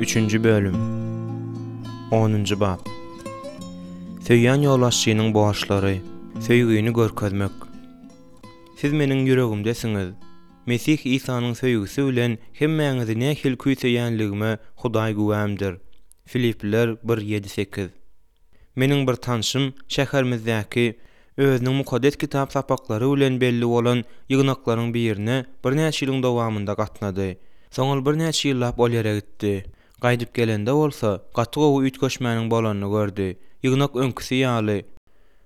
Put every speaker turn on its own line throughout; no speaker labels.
Üçünji bölüm. Onunjy bap. Söýýän ýolbaşçynyň borçlary. Söýgini görkezmek. Siz meniň ýüregimdesiňiz. Mesih Isanyň söýgüsi bilen hemmäňizi nähili küýseýänligime Hudaý güwämdir. Filipliler bir, ýedi, sekiz. Meniň bir tanşym şäherimizdäki özüniň Mukaddes Kitap sapaklary bilen belli bolan ýygnaklaryň birine birnäçe ýylyň dowamynda gatnady. Soň ol birnäçe ýyllap ol ýere gitdi. Gaýdyp gelende bolsa, gaty gowy üýtgeşmäniň bolanyny gördi. Ýygnak öňküsi ýaly,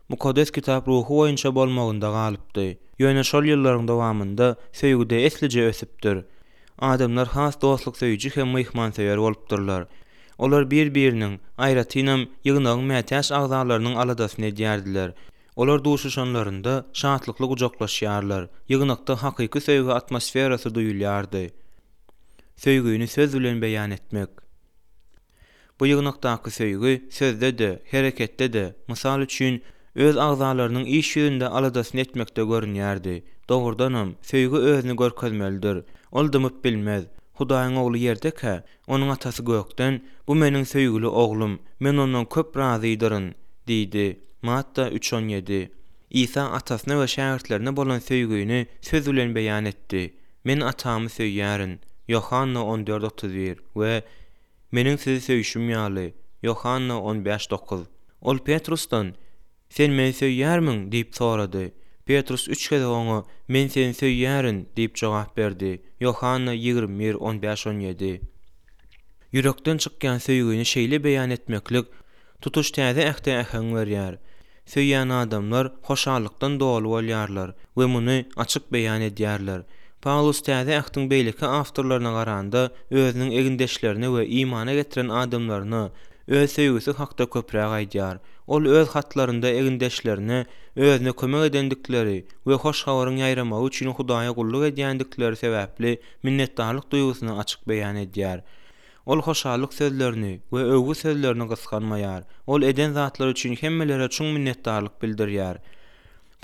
Mukaddes Kitap ruhy boýunça bolmagynda galypdy. Ýöne şol ýyllaryň dowamynda söýgüde eslije ösüpdir. Adamlar has dostluksöýüji hem myhmansöýer bolupdyrlar. Olar bir-biriniň, aýratynam, ýygnagyň mätäç agzalarynyň aladasyny edýärdiler. Olar duşuşanlarynda şatlykly gujaklaşýarlar, ýygnakda hakyky söýgi atmosferasy duýulýardy. Söýgini söz bilen beýan etmek. Bu ýygnakdaky söýgi sözde-de, hereketde-de, mysal üçin, öz agzalarynyň iş ýüzünde aladasyny etmekde görünýärdi. Dogrudanam, söýgi özüni görkezmelidir. Ol dymyp bilmez. Hudaýyň Ogly ýerdekä, Onuň Atasy gökden, Bu Meniň söýgüli Oglum, Men Ondan köp razydyryn diýdi. Matta üç on ýedi. Isa Atasyna we şägirtlerine bolan söýgini söz bilen beýan etdi, Men Atamy söýýärin, Ýohanna on dört 31, we Meniň sizi söýşüm ýaly, Ýohanna on bäş dokuz. Ol Petrusdan, Sen Meni söýýärmiň? diýip sorady. Petrus üç gezek oňa, Men Seni söýýärin! diýip jogap berdi, Ýohanna 21, on bäş, on ýedi. Ýürekden çykýan söýgini şeýle beýan etmeklik tutuş Täze Ähde äheň berýär. Söýýän adamlar hoşallykdan doly bolýarlar we muny açyk beýan edýärler. Pawlus Täze Ähtiň beýleki awtorlaryna garanda özüniň egindeşlerine we imana getiren adamlaryna öz söýgüsi hakda köpräk aýdýar. Ol öz hatlarynda egindeşlerine özüne kömek edendikleri we hoş habaryň ýaýramagy üçin Hudaýa gulluk edýändikleri sebäpli minnetdarlyk duýgusyny açyk beýan edýär. Ol hoşallyk sözlerini we öwgi sözlerini gysganmaýar. Ol eden zatlary üçin hemmelere çuň minnetdarlyk bildirýär.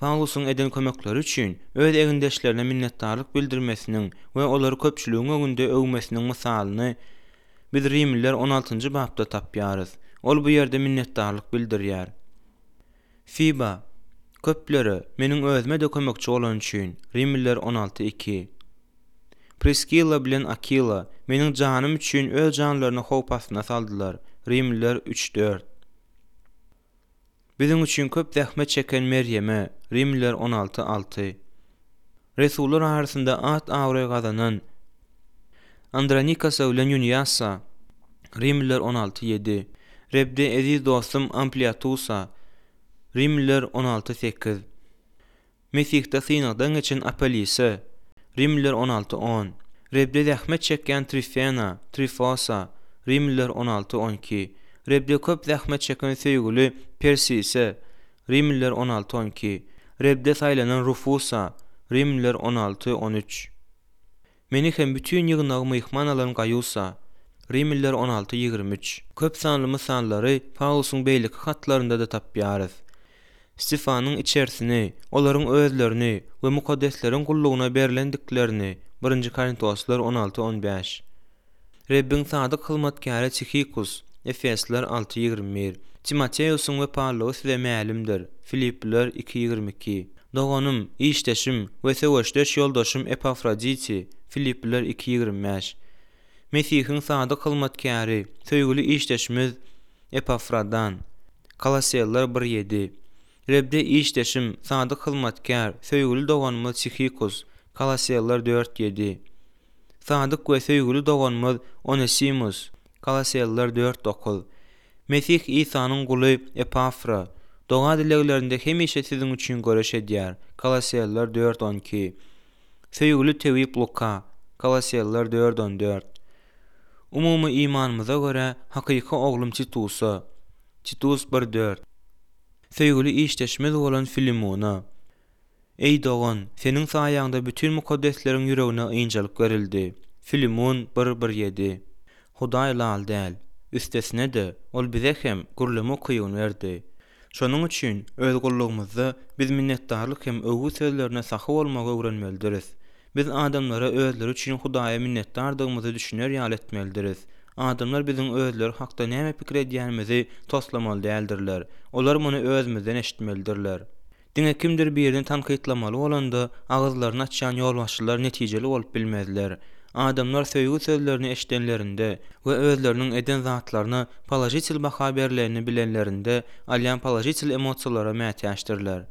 Pawlusyň eden kömekleri üçin öz egindeşlerine minnetdarlyk bildirmesiniň we olary köpçüligiň öňünde öwmesiniň mysalyny biz Rimliler on altynjy bapda tapýarys. Ol bu ýerde minnetdarlyk bildirýär. Fiba, köplere, meniň özüme-de kömekçi bolany üçin, Rimliler on alty, iki. Priskilla bilen Akila, meniň janym üçin öz janlaryny howp astyna saldylar, Rimliler üç, dört. Biziň üçin köp zähmet çeken Merýeme, Rimliler on alty, alty. Resullar arasynda at-abraý gazanan Andronikasa bilen Ýuniasa, Rimliler on alty, ýedi. Rebde eziz dostum Ampliatusa, Rimliler on alty, sekiz. Mesihde synagdan geçen Apellise, Rimliler on alty, on. Rebde zähmet çekýän Trifena, Trifosa, Rimliler on alty, on iki. Rebde köp zähmet çeken söýgüli Persise, Rimliler on alty, on iki. Rebde saýlanan Rufusa, Rimliler on alty, on üç. Meni hem bütin ýygnagy myhman alan Gaýusa, Rimliler on alty, 23. Köp sanly mysallary Pawlusyň beýleki hatlarynda-da tapýarys. Stefanyň içerisini, olaryň özlerini we mukaddesleriň gullugyna berlendiklerini, Birinji Korintoslar on alty, on bäş. Rebbiň sadyk hyzmatkäri Tihikus, Efesler alty, 21. Timoteosyň wepalylygy size mälimdir, Filipliler iki, 22. Doganym, işdeşim we söweşdeş ýoldaşym Epafroditi, Filipliler iki, 25. Mesihiň sadyk hyzmatkäri, söýgüli işdeşimiz Epafradan, Kolosseler bir, ýedi. Rebde işdeşim, sadyk hyzmatkär, söýgüli doganymyz Tihikus, Kolosseler dört, ýedi. Sadyk we söýgüli doganymyz Onesimus, Kolosseler dört, dokuz. Mesih Isanyň guly Epafra, doga-dileglerinde hemişe siziň üçin göreş edýär, Kolosseler dört, on iki. Söýgüli tebip Luka, Kolosseler dört, on dört. Umumy imanymyza görä, hakyky oglum Titusa, Titus bir, dört. Söýgüli işdeşimiz bolan Filimona. Eý, dogan, seniň saýaňda bütin mukaddesleriň ýüregine ynjalyk berildi. Filimun bir, bir, ýedi. Hudaý lal däl. Üstesine-de, Ol bize hem gürleme ukybyny berdi. Şonuň üçin öz gullugymyzda biz minnetdarlyk hem öwgi sözlerine sahy bolmagy öwrenmelidiris. Biz adamlara özleri üçin Hudaýa minnetdardygymyzy düşüner ýaly etmelidiris. Adamlar biziň özleri hakda näme pikir edýänimizi toslamaly däldirler. Olar muny özümizden eşitmelidirler. Diňe kimdir birini tankytlamaly bolanda agyzlaryny açýan ýolbaşçylar netijeli bolup bilmezler. Adamlar söýgi sözlerini eşidenlerinde we özleriniň eden zatlaryna položitel baha berlenini bilenlerinde alýan položitel emosiýalara mätäçdirler.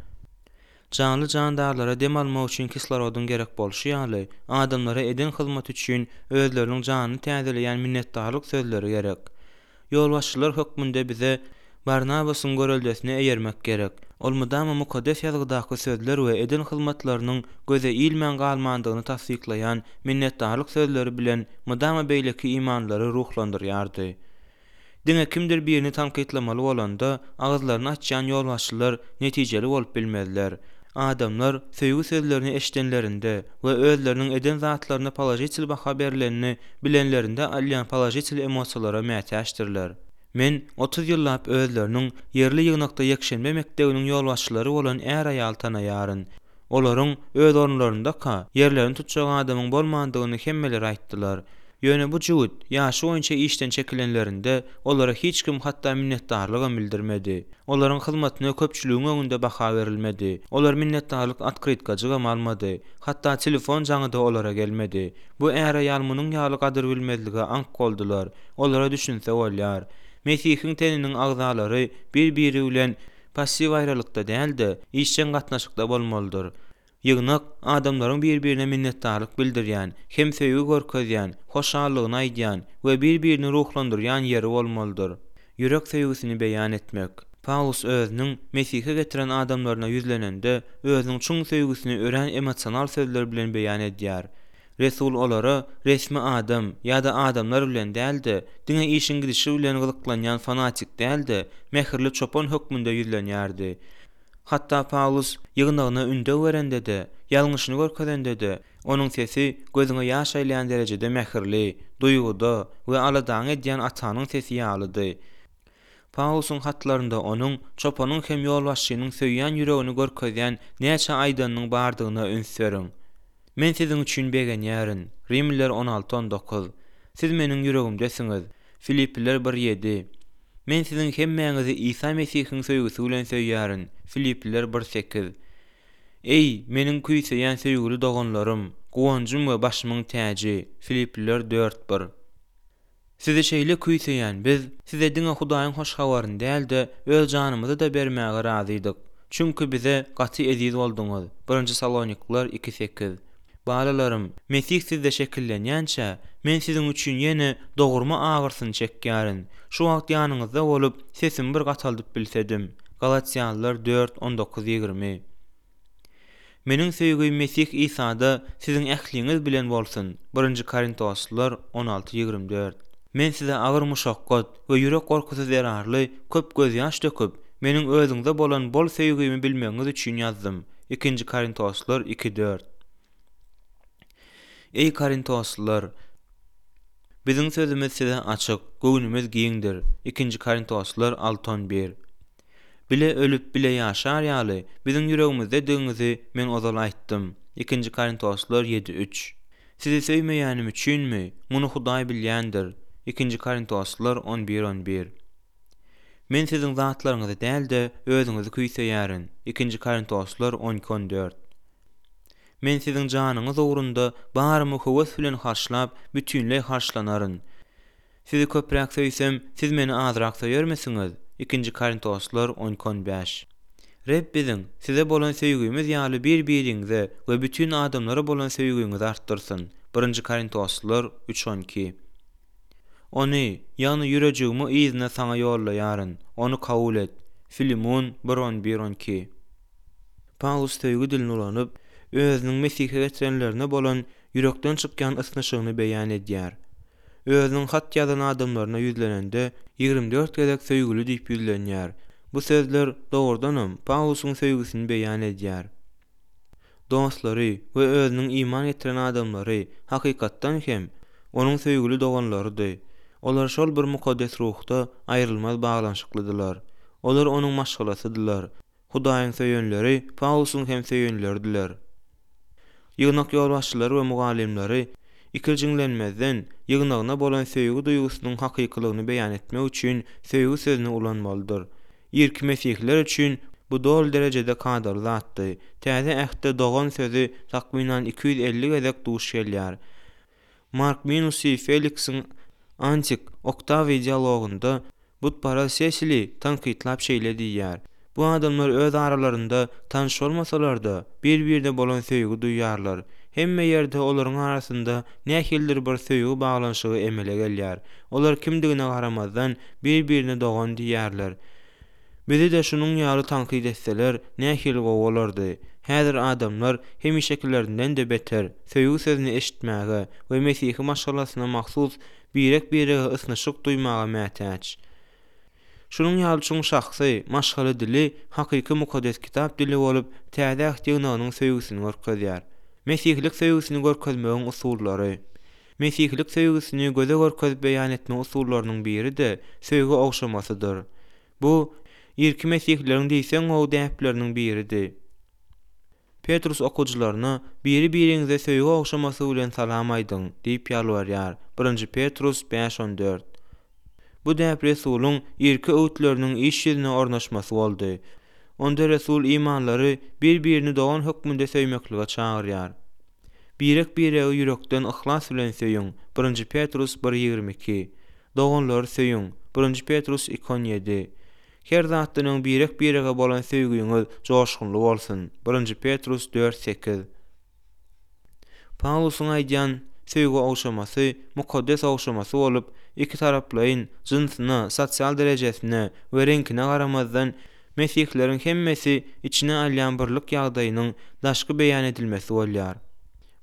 Janly-jandarlara dem almak üçin kislorodyň gerek bolşy ýaly, adamlara eden hyzmaty üçin özleriniň janyny täzeleýän minnetdarlyk sözleri gerek. Ýolbaşçylar hökmünde bize Barnabasyň göreldesine eýermek gerek. Ol mydama Mukaddes Ýazgydaky sözler we eden hyzmatlarynyň göze ilmän galmandygyny tassyklaýan minnetdarlyk sözleri bilen mydama beýleki imanlylary ruhlandyrýardy. Diňe kimdir birini tankytlamaly bolanda, agyzlaryny açýan ýolbaşçylar netijeli bolup bilmezler. Adamlar söýgi sözlerini eşidenlerinde we özleriniň eden zatlaryna položitel baha berlenini bilenlerinde alýan položitel emosiýalara mätäçdirler. Men 30 ýyllap özleriniň ýerli ýygnakda ýekşenbe mekdebiniň ýolbaşçylary bolan är-aýaly tanaýaryn. Olaryň öz orunlaryndaka, ýerlerini tutjak adamyň bolmandygyny hemmeler aýtdylar. Ýöne bu jübüt, ýaşy boýunça işden çekilenlerinde, olara hiç kim hatda minnetdarlygam bildirmedi. Olaryň hyzmatyna köpçüligiň öňünde baha berilmedi. Olar minnetdarlyk otkrytkajygam almady. Hatda telefon jaňy-da olara gelmedi. Bu är-aýal munuň ýaly gadyrbilmezlige aňk boldular. Olara düşünse bolýar. Mesihiň teniniň agzalary bir-biri bilen Passiw aýralykda däl-de, işjeň gatnaşykda bolmalydyr. Ýygnak, adamlaryň bir-birine minnetdarlyk bildirýän, hem söýgi görkezýän, hoşallygyny aýdýan we bir-birini ruhlandyrýan ýeri bolmalydyr. Ýürek söýgüsini beýan etmek. Pawlus özüniň Mesihe getiren adamlaryna ýüzlenende, özüniň çuň söýgüsini örän emosional sözler bilen beýan edýär. Resul olara resmi adam ýa-da adamlar bilen däl-de, diňe işiň gidişi bilen gyzyklanýan fanatik däl-de, mähirli çopan hökmünde ýüzlenýärdi. Hatda Pawlus ýygnagyna ündew berende-de, ýalňyşyny görkezende-de, onuň sesi gözüňe ýaş aýlaýan derejede mähirli, duýguda we aladaňy edýän atanyň sesi ýalydy. Pawlusyň hatlarynda onuň çopanyň hem ýolbaşçynyň söýýän ýüregini görkezýän näçe aýdanynyň bardygyna üns beriň. Men siziň üçin begenýärin, Rimliler 16, 19. Siz meniň ýüregimdesiňiz, Filipliler 1, 7. Men siziň hemmäňizi Isa Mesihiň söýgüsi bilen söýýärin, Filipliler 1, 8. Eý, meniň küýseýän söýgüli doganlarym, guwanjym we başymyň täji, Filipliler 4, 1. Sizi şeýle küýseýän biz, size diňe Hudaýyň hoş habaryny däl-de, öz janymyzy-da bermäge razydyk. Çünki bize gaty eziz bolduňyz. Birinji Salonikliler iki, sekiz. Balalarym, Mesih sizde şekillenýänçä, men siziň üçin ýene dogurma agyrsyny çekýärin. Şu wagt ýanyňyzda bolup, sesimi bir gataldyp bilsedim. Galatýalylar dört, 19, 20. Meniň söýgim Mesih Isada siziň ähliňiz bilen bolsun, Birinji Korintoslylar 16, 24. Men size agyr muşakgat we ýürek gorkusy zerarly köp gözýaş döküp, meniň özüňize bolan bol söýgimi bilmegiňiz üçin ýazdym, Ikinji Korintoslylar iki, dört. Eý korintoslylar! Biziň sözümiz size açyk, göwnümiz giňdir, Ikinji Korintoslylar alty, on bir. Bile ölüp, bile ýaşar ýaly, biziň ýüregimizdedigiňizi men ozal aýtdym. Ikinji Korintoslar ýedi, üç. Sizi söýmeýänim üçinmi? Muny Hudaý bilýändir. Ikinji Korintoslar 11, 11. Men siziň zatlaryňyzy däl-de, özüňizi küýseýärin. Ikinji Korintoslar 12, 14. Men siziň janyňyz ugrunda barymy höwes bilen harçlap, bütinleý harçlanaryn. Sizi köpräk söýsem, siz meni azrak söýermisiňiz? Ikinji Korintoslar 12 15. Reb biziň size bolan söýgimiz ýaly bir-biriňize we bütin adamlara bolan söýgiňizi artdyrsyn. Birinji Korintoslar üç 12. Ony, ýagny ýürejigimi yzyna saňa ýollaýaryn. Ony kabul et. Filimun bir 11 12. Pawlus söýgi dilini ulanyp, özüniň Mesihe getirenlerine bolan ýürekden çykýan ysnyşygyny beýan edýär. Özüniň hat ýazan adamlaryna ýüzlenende, 24 gezek söýgüli diýip ýüzlenýär. Bu sözler, dogrudanam, Pawlusyň söýgüsini beýan edýär. Dostlary we özüniň iman getiren adamlary, hakykatdan hem, onuň söýgüli doganlarydy. Olar şol bir mukaddes ruhda aýrylmaz baglanyşyklydylar. Olar onuň maşgalasydylar. Hudaýyň söýenleri Pawlusyň hem söýenleridiler. Ýygnak ýolbaşçylary we mugallymlary. ikirjiňlenmezden, ýygnagyna bolan söýgi duýgusynyň hakykylygyny beýan etmek üçin söýgi sözüni ulanmalydyr. Irki mesihiler üçin bu doly derejede kadaly zatdy. Täze Ähtde dogan sözi takmynan 250 gezek duş gelýär. Mark Minusiý Feliksiň Antik, Oktawiý dialogynda butparaz Sesili tankytlap şeýle diýýär, Bu adamlar öz aralarynda tanyş bolmasalar-da, bir-birine bolan söýgi duýýarlar. Hemme ýerde olaryň arasynda nähilidir bir söýgi baglanyşygy emele gelýär. Olar kimdigine garamazdan, bir-birine dogan diýýärler. Bizi-de şunuň ýaly tankyt etseler, nähili gowy bolardy. Häzir adamlar hemişekilerinden-de beter, söýgi sözüni eşitmäge we mesihi maşgalasyna mahsus birek-birege ysnyşyk duýmaga mätäç. Şunuň ýaly çuň şahsy, maşgala dili hakyky Mukaddes Kitap dili bolup, Täze Äht ýygnagynyň söýgüsini görkezýär. Mesihilik söýgüsini görkezmegiň usullary. Mesihilik söýgüsini göze görkezip beýan etme usullarynyň biri-de söýgi ogşamasydyr. Bu, irki mesihileriň diýseň gowy däpleriniň biridi. Petrus okyjylaryna, Biri-biriňize söýgi ogşamasy bilen salam aýdyň diýip ýalbarýar, Birinji Petrus bäş on dört. Bu däp resulyň irki öwütleriniň iş ýüzüne ornaşmasy boldy. Onda resul imanlary bir-birini dogan hökmünde söýmeklige çagyrýar. Birek-biregi ýürekden yhlas bilen söýüň, Birinji Petrus bir 22. Doganlary söýüň, Birinji Petrus iki 17. Her zatdan öň birek-birege bolan söýgüňiz joşgunly bolsun, Birinji Petrus dört sekiz. Pawlusyň aýdýan söýgi ogşamasy mukaddes ogşamasy bolup, ikitaraplaýyn, jynsyna, sosial derejesine we reňkine garamazdan, mesihleriň hemmesi içine alýan birlik ýagdaýynyň daşky beýan edilmesi bolýar.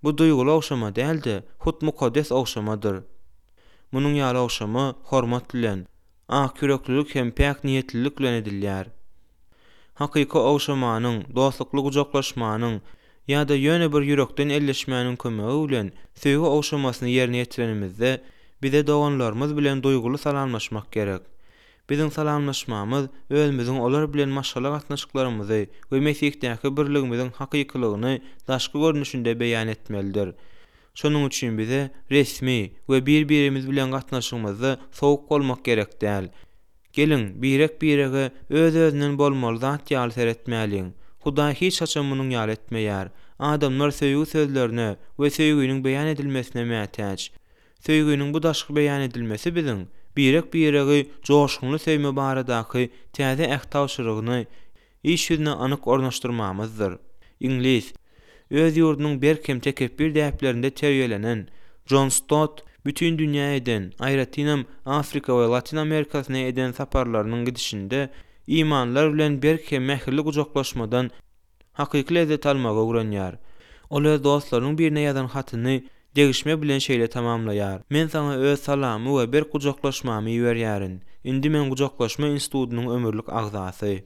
Bu duýguly ogşama däl-de, hut mukaddes ogşamadyr. Munuň ýaly ogşama hormat bilen, Akýüreklilik hem päk niýetlilik bilen edilýär. Hakyky ogşamanyň, dostlukly gujaklaşmanyň ýa-da ýöne bir ýürekden elleşmäniň kömegi bilen söýgi ogşamasyny ýerine ýetirenimizde, bize doganlarymyz bilen duýguly salamlaşmak gerek. Biziň salamlaşmamyz özümiziň olar bilen maşgala gatnaşyklarymyzy we Mesihdäki birligimiziň hakykylygyny daşky görnüşinde beýan etmelidir. Şonuň üçin bize resmi we bir-birimiz bilen gatnaşygymyzda sowuk bolmak gerek däl. Geliň, birek-birege öz-özünden bolmaly zat ýaly seretmäliň. Hudaý hiç haçan munuň ýaly etmeýär. Adamlar söýgi sözlerine we söýginiň beýan edilmesine mätäç. Söýginiň bu daşky beýan edilmesi biziň birek-biregi joşgunly söýme baradaky Täze Äht tabşyrygyny iş ýüzüne anyk ornaşdyrmamyzdyr. Iňlis, öz ýurdunyň berk hem tekepbir däplerinde terbiýelenen Jon Stott bütin dünýä eden, aýratynam Afrika we Latyn Amerikasyna eden saparlarynyň gidişinde imanlylar bilen berk hem mähirli gujaklaşmadan hakyky lezzet almagy öwrenýär. Ol öz dostlarynyň birine ýazan hatyny degişme bilen şeýle tamamlaýar, Men saňa öz salamymy we berk gujaklaşmamy iberýärin. Indi men gujaklaşma institutynyň ömürlik agzasy.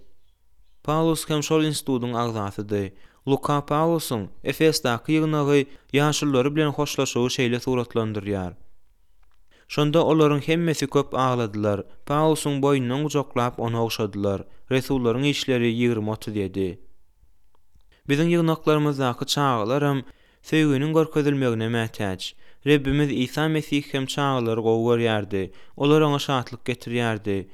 Pawlus hem şol institutyň agzasydy. Luka Pawlusyň Efesdaky ýygnagy ýaşululary bilen hoşlaşygy şeýle suratlandyrýar, Şonda olaryň hemmesi köp agladylar, Pawlusyň boýnundan gujaklap, ony ogşadylar. Resullaryň işleri 20 37. Biziň ýygnaklarymyzdaky çagalaram söýginiň görkezilmegine mätäç. Rebbimiz Isa Mesih hem çagalary gowy görýärdi. Olar oňa şatlyk getirýärdi.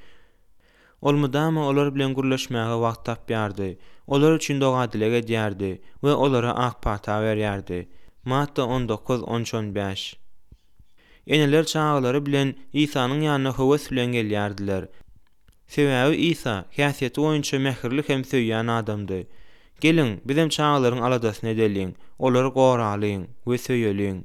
Ol mydama olar bilen gürleşmäge wagt tapýardy, olar üçin doga-dileg edýärdi we olara ak pata berýärdi. Matta 19, 13, 15. Eneler çagalary bilen Isanyň ýanyna höwes bilen gelýärdiler. Sebäbi Isa häsiýeti boýunça mähirli hem söýýän adamdy. Geliň, bizem çagalaryň aladasyny edeliň, olary goralyň we söýeliň.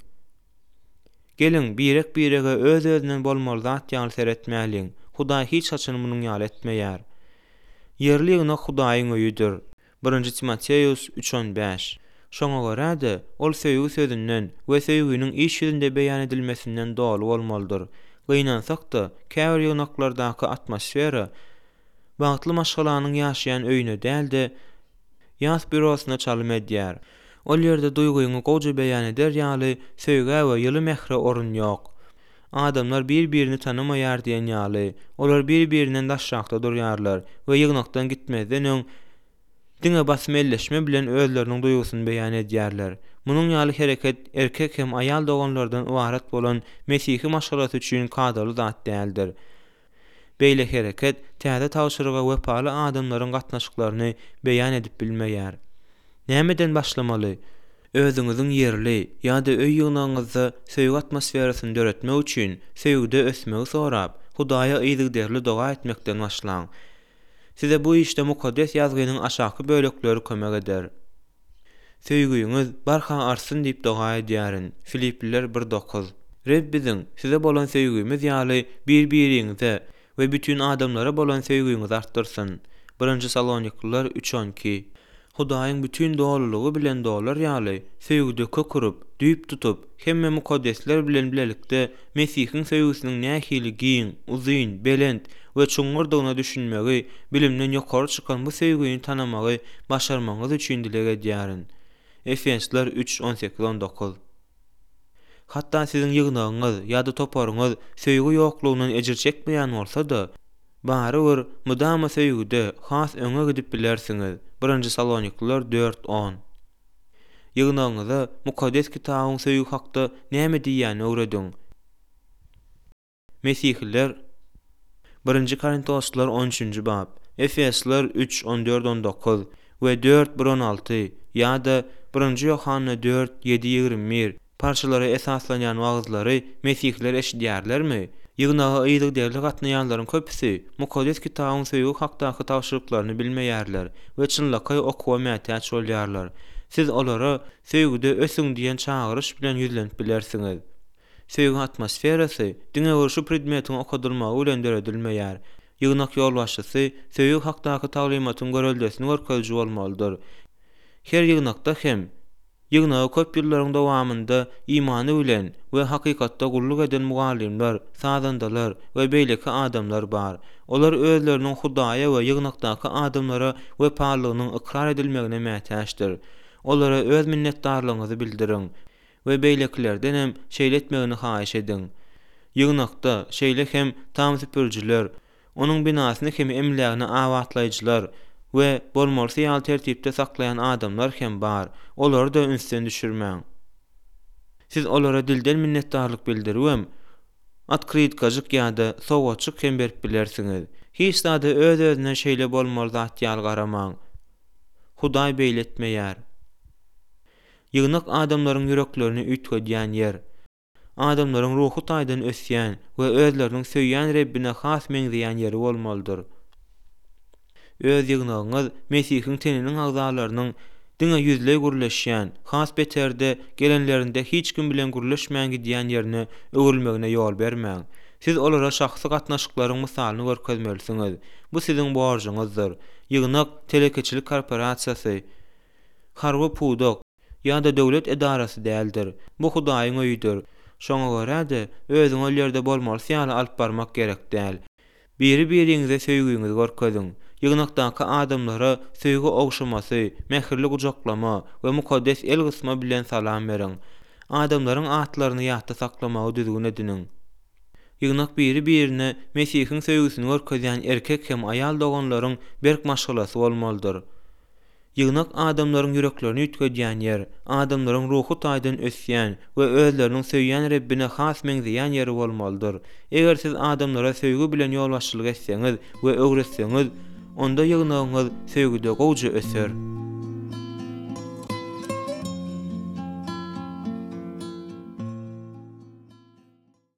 Geliň, birek-birege öz-özünden bolmaly zat ýaly seretmäliň. Hudaý hiç haçan munuň ýaly etmeýär. Ýerli ýygnak Hudaýyň öýüdir. Birinji Timoteus üç on bäş. Şoňa görä-de, ol söýgi sözünden we söýginiň iş ýüzünde beýan edilmesinden doly bolmalydyr. Gynansak-da, käbir ýygnaklardaky atmosfera bagtly maşgalanyň ýaşaýan öýüne däl-de, ýas býurosyna çalym edýär. Ol ýerde duýgyňy gowja beýan eder ýaly söýgä we ýyly mähre orun ýok. Adamlar bir-birini tanamaýar diýen ýaly, olar bir-birinden daşrakda durýarlar we ýygnakdan gitmezden öň Diňe basym elleşme bilen özleriniň duýgusyny beýan edýärler. Munuň ýaly hereket erkek hem aýal doganlardan ybarat bolan mesihi maşgalasy üçin kadaly zat däldir. Beýle hereket täze tabşyryga wepaly adamlaryň gatnaşyklaryny beýan edip bilmeýär. Nämeden başlamaly? Özüňiziň ýerli ýa-da öý ýygnagyňyzda söýgi atmosferasyny döretmek üçin söýgüde ösmegi sorap, Hudaýa yzygiderli doga etmekden başlaň. Size bu işde Mukaddes Ýazgynyň aşaky bölekleri kömek eder. Söýgiňiz barha artsyn diýip doga edýärin. Filipliler bir dokuz. Reb biziň size bolan söýgimiz ýaly bir-biriňize we bütin adamlara bolan söýgiňizi artdyrsyn. Birinji Salonikliler üç 12. Hudaýyň bütin dolulygy bilen dolar ýaly, söýgüde kök urup, düýp tutup, hemme mukaddesler bilen bilelikde Mesihiň söýgüsiniň nähili giň, uzyn, belent we çuňňurdygyna düşünmegi, bilimden ýokary çykan bu söýgini tanamagy başarmagyňyz üçin dileg edýärin. Efesler üç, 18, 19. Hatda siziň ýygnagyňyz ýa-da toparyňyz söýgi ýoklugyndan ejir çekmeýän bolsa-da, barybir mydama söýgüde has öňe gidip bilersiňiz, Birinji Salonikliler dört, on. Ýygnagyňyza Mukaddes Kitabyň söýgi hakda näme diýýänini öwrediň. Mesihiler Birinji Korintoslylar on üçünji bap, Efesliler üç, on dört, on dokuz, we dört, bir, on alty, ýa-da Birinji Ýohanna dört, ýedi, 21, parçalara esaslanýan wagyzlary mesihiler eşidýärlermi? Ýygnaga yzygiderli gatnaýanlaryň köpüsi Mukaddes Kitabyň söýgi hakdaky tabşyryklaryny bilmeýärler we çynlakaý okuwa mätäç bolýarlar. Siz olara Söýgüde ösüň diýen çagyryş bilen ýüzlenip bilersiňiz. Söýgi atmosferasy diňe bir şu predmetiň okadylmagy bilen döredilmeýär. Ýygnak ýolbaşçysy söýgi hakdaky taglymatyň göreldesini görkeziji bolmalydyr. Her ýygnakda hem ýygnaga köp ýyllaryň dowamynda imany bilen we hakykatda gulluk eden mugallymlar, sazandalar we beýleki adamlar bar. Olar özleriniň Hudaýa we ýygnakdaky adamlara wepalylygynyň ykrar edilmegine mätäçdir. Olara öz minnetdarlygyňyzy bildiriň we beýlekilerdenem şeýle etmegini haýyş ediň. Ýygnakda, şeýle hem tam süpürijiler, onuň binasyny hem emlägini abatlaýjylar we bolmalysy ýaly tertipde saklaýan adamlar hem bar, olary-da ünsden düşürmäň. Siz olara dilden minnetdarlyk bildiribem, otkrytkajyk ýa-da sowgatjyk hem berip bilersiňiz. Hiç zada öz-özünden şeýle bolmaly zat ýaly garamaň. Hudaý beýle etmeýär. Ýygnak adamlaryň ýüreklerini üýtgedýän ýer. Adamlaryň ruhy taýdan ösýän we özleriniň söýýän Rebbine has meňzeýän ýeri bolmalydyr. Öz ýygnagyňyz Mesihiň teniniň agzalarynyň diňe ýüzleý gürleşýän, has beteri-de, gelenlerinde hiç kim bilen gürleşmän gidýän ýerine öwrülmegine ýol bermäň. Siz olara şahsy gatnaşyklaryň mysalyny görkezmelisiňiz. Bu siziň borjuňyzdyr. Ýygnak, telekeçilik korporasiýasy, harby pudak ýa-da döwlet edarasy däldir. Bu Hudaýyň öýüdir. Şoňa görä-de, özüňi ol ýerde bolmalysy ýaly alyp barmak gerek däl. Biri-biriňize söýgüňizi görkeziň. Ýygnakdaky adamlara söýgi ogşamasy, mähirli gujaklama we mukaddes el gysma bilen salam beriň. Adamlaryň atlaryny ýatda saklamagy düzgün ediniň. Ýygnak biri-birine Mesihiň söýgüsini görkezýän erkek hem aýal doganlaryň berk maşgalasy bolmalydyr. Ýygnak adamlaryň ýüreklerini üýtgedýän ýer, adamlaryň ruhy taýdan ösýän we özleriniň söýýän Rebbine has meňzeýän ýeri bolmalydyr. Eger siz adamlara söýgi bilen ýolbaşçylyk etseňiz we öwretseňiz, onda ýygnagyňyz söýgüde gowja öser.